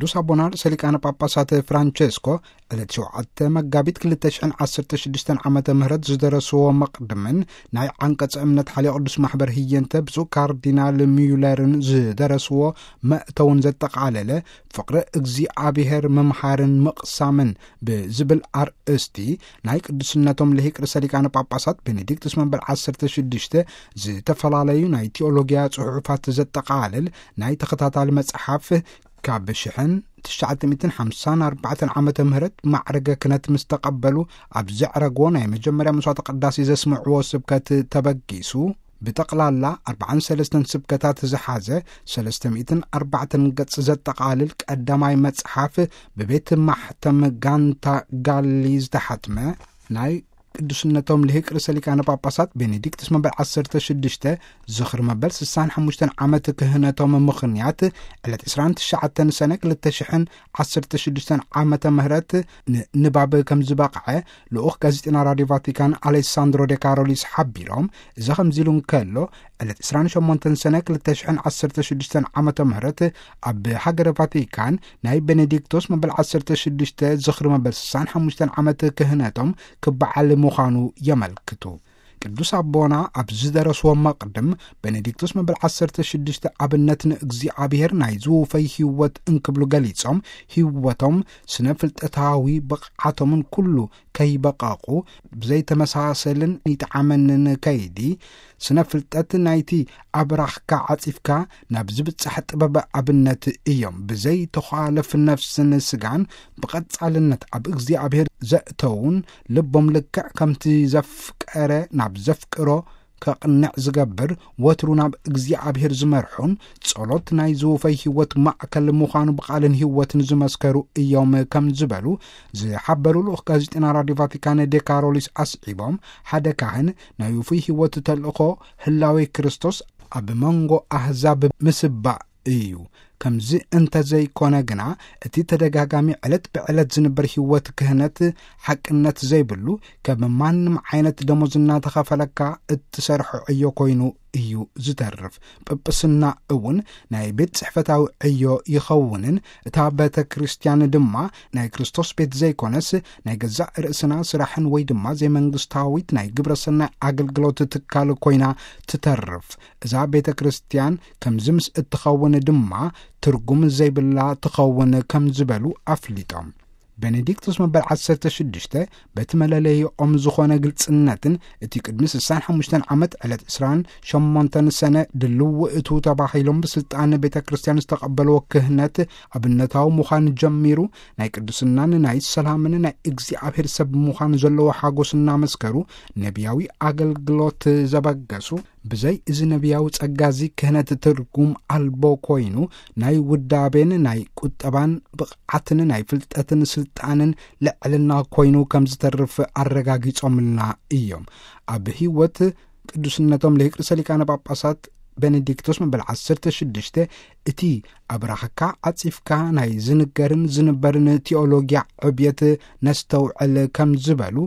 ቅዱስ ኣቦና ርእሰ ሊቃነ ጳጳሳት ፍራንቸስኮ ዕለት ሸውዓተ መጋቢት ክልተ ሽሕን ዓሰርተ ሽዱሽተን ዓመተ ምህረት ዝደረስዎ መቕድምን ናይ ዓንቀጸ እምነት ሓልዮ ቅዱስ ማሕበር ህየንተ ብፁዕ ካርዲናል ሚዩለርን ዝደረስዎ መእተውን ዘጠቓለለ ፍቕሪ እግዚኣብሔር ምምሃርን ምቕሳምን ብዝብል ኣርእስቲ ናይ ቅዱስነቶም ልሂቅ ርእሰ ሊቃነ ጳጳሳት ቤኔዲክቱስ መበል ዓሰርተ ሽዱሽተ ዝተፈላለዩ ናይ ቲኦሎጊያ ጽሑፋት ዘጠቓልል ናይ ተኸታታሊ መጽሓፍ ካብ ሽሕን ትሽዓተ ሚእትን ሓምሳን ኣርባዕተን ዓመተ ምህረት ማዕረገ ክህነት ምስ ተቐበሉ ኣብ ዘዕረግዎ ናይ መጀመርያ መስዋዕተ ቅዳሴ ዘስምዕዎ ስብከት ተበጊሱ ብጠቕላላ ኣርባዓን ሰለስተን ስብከታት ዝሓዘ ሰለስተ ሚእትን ኣርባዕተን ገጽ ዘጠቓልል ቀዳማይ መጽሓፍ ብቤት ማሕተም ጋንታ ጋሊ ዝተሓትመ ናይ ቅዱስነቶም ልሂቅ ርእሰ ሊቃነ ጳጳሳት ቤኔዲክቱስ መበል ዓሰርተ ሽዱሽተ ዝኽሪ መበል ስሳን ሓሙሽተን ዓመት ክህነቶም ምኽንያት ዕለት ዕስራን ትሽዓተን ሰነ ክልተ ሽሕን ዓሰርተ ሽዱሽተን ዓመተ ምህረት ንንባብ ከም ዝበቕዐ ልኡኽ ጋዜጠና ራድዮ ቫቲካን ኣሌሳንድሮ ዴ ካሮሊስ ሓቢሮም። እዚ ከምዚ ኢሉ እንከሎ ዕለት ዕስራን ሸሞንተን ሰነ ክልተ ሽሕን ዓሰርተ ሽዱሽተን ዓመተ ምህረት ኣብ ሃገረ ቫቲካን ናይ ቤኔዲክቶስ መበል ዓሰርተ ሽዱሽተ ዝኽሪ መበል ስሳን ሓሙሽተን ዓመት ክህነቶም ክበዓል ምዃኑ የመልክቱ። ቅዱስ ኣቦና ኣብ ዝደረስዎ መቕድም ቤኔዲክቶስ መበል ዓሰርተ ሽዱሽተ ኣብነት ንእግዚኣብሔር ናይ ዝውፈይ ህይወት እንክብሉ ገሊጾም፣ ህይወቶም ስነ ፍልጠታዊ ብቕዓቶምን ኩሉ ከይበቐቑ ብዘይተመሳሰልን ይጠዓመንን ከይዲ ስነ ፍልጠት ናይቲ ኣብራኽካ ዓጺፍካ ናብ ዝብጻሕ ጥበብ ኣብነት እዮም። ብዘይ ተዃለፍ ነፍስን ስጋን ብቐጻልነት ኣብ እግዚኣብሔር ዘእተውን ልቦም ልክዕ ከምቲ ዘፍቀረ ናብ ዘፍቅሮ ከቕንዕ ዝገብር ወትሩ ናብ እግዚኣብሔር ዝመርሑን ጸሎት ናይ ዝውፈይ ህይወት ማእከል ምዃኑ ብቓልን ህይወትን ዝመስከሩ እዮም ከም ዝበሉ ዝሓበሩ ልኡኽ ጋዜጠና ራድዮ ቫቲካን ዴ ካሮሊስ ኣስዒቦም፣ ሓደ ካህን ናይ ውፉይ ህይወት ተልእኾ ህላዌ ክርስቶስ ኣብ መንጎ ኣህዛብ ምስባእ እዩ። ከምዚ እንተዘይኮነ ግና እቲ ተደጋጋሚ ዕለት ብዕለት ዝንበር ህይወት ክህነት ሓቅነት ዘይብሉ ከም ማንም ዓይነት ደሞዝ እናተኸፈለካ እትሰርሖ ዕዮ ኮይኑ እዩ ዝተርፍ። ጵጵስና እውን ናይ ቤት ጽሕፈታዊ ዕዮ ይኸውንን እታ ቤተ ክርስቲያን ድማ ናይ ክርስቶስ ቤት ዘይኮነስ ናይ ገዛእ ርእስና ስራሕን ወይ ድማ ዘይመንግስታዊት ናይ ግብረ ሰናይ ኣገልግሎት ትካል ኮይና ትተርፍ። እዛ ቤተ ክርስቲያን ከምዚ ምስ እትኸውን ድማ ትርጉም ዘይብላ ትኸውን ከም ዝበሉ ኣፍሊጦም። ቤኔዲክቱስ መበል ዓሰርተ ሽዱሽተ በቲ መለለይኦም ዝኾነ ግልጽነትን እቲ ቅድሚ ስሳን ሓሙሽተን ዓመት ዕለት ዕስራን ሸሞንተን ሰነ ድልው እቱ ተባሂሎም ብስልጣን ቤተ ክርስቲያን ዝተቐበልዎ ክህነት ኣብነታዊ ምዃን ጀሚሩ ናይ ቅዱስናን ናይ ሰላምን ናይ እግዚኣብሔር ሰብ ምዃን ዘለዎ ሓጎስ እናመስከሩ ነቢያዊ ኣገልግሎት ዘበገሱ ብዘይ እዚ ነቢያዊ ጸጋ እዚ ክህነት ትርጉም ኣልቦ ኮይኑ ናይ ውዳቤን ናይ ቁጠባን ብቕዓትን ናይ ፍልጠትን ስልጣንን ልዕልና ኮይኑ ከም ዝተርፍ ኣረጋጊጾምልና እዮም። ኣብ ህይወት ቅዱስነቶም ልሂቅ ርእሰ ሊቃነ ጳጳሳት ቤኔዲክቶስ መበል ዓሰርተ ሽዱሽተ እቲ ኣብራኽካ ዓጺፍካ ናይ ዝንገርን ዝንበርን ቲኦሎጊያ ዕብየት ነስተውዕል ከም ዝበሉ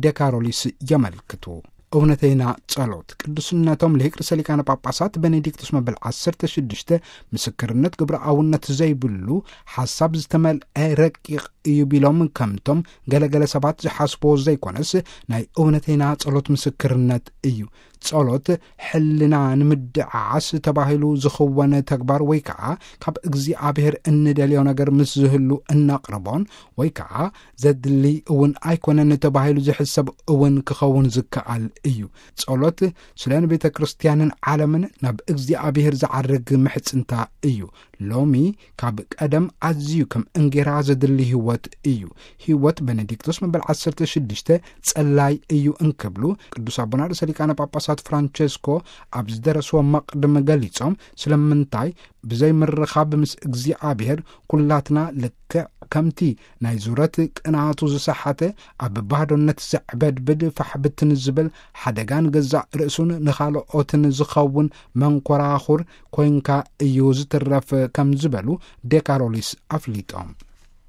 ዴካሮሊስ የመልክቱ። እውነተይና ጸሎት ቅዱስነቶም ልሂቅ ርእሰ ሊቃነ ጳጳሳት ቤኔዲክቶስ መበል ዓሰርተ ሽዱሽተ ምስክርነት ግብረ ኣውነት ዘይብሉ ሓሳብ ዝተመልአ ረቂቕ እዩ ቢሎም ከምቶም ገለገለ ሰባት ዝሓስቦ ዘይኮነስ ናይ እውነተይና ጸሎት ምስክርነት እዩ። ጸሎት ሕልና ንምድዓዓስ ተባሂሉ ዝኽወን ተግባር ወይ ከዓ ካብ እግዚኣብሔር እንደልዮ ነገር ምስ ዝህሉ እነቕርቦን ወይ ከዓ ዘድሊ እውን ኣይኮነን ተባሂሉ ዝሕሰብ እውን ክኸውን ዝከኣል እዩ። ጸሎት ስለ ንቤተ ክርስቲያንን ዓለምን ናብ እግዚኣብሔር ዝዓርግ ምሕጽንታ እዩ። ሎሚ ካብ ቀደም ኣዝዩ ከም እንጌራ ዘድሊ ህይወት እዩ። ህይወት ቤኔዲክቶስ መበል ዓሰርተ ሽዱሽተ ጸላይ እዩ እንክብሉ ቅዱስ ኣቦና ርእሰ ሊቃነ ጳጳሳት ፍራንቸስኮ ኣብ ዝደረስዎ መቕድም ገሊጾም፣ ስለምንታይ ብዘይ ምርኻብ ምስ እግዚኣብሔር ኩላትና ልክዕ ከምቲ ናይ ዙረት ቅናቱ ዝሰሓተ ኣብ ባዶነት ዘዕበድብድ ፋሕብትን ዝብል ሓደጋን ገዛእ ርእሱን ንኻልኦትን ዝኸውን መንኮራኹር ኮንካ እዩ ዝትረፍ ከም ዝበሉ ዴካሮሊስ ኣፍሊጦም።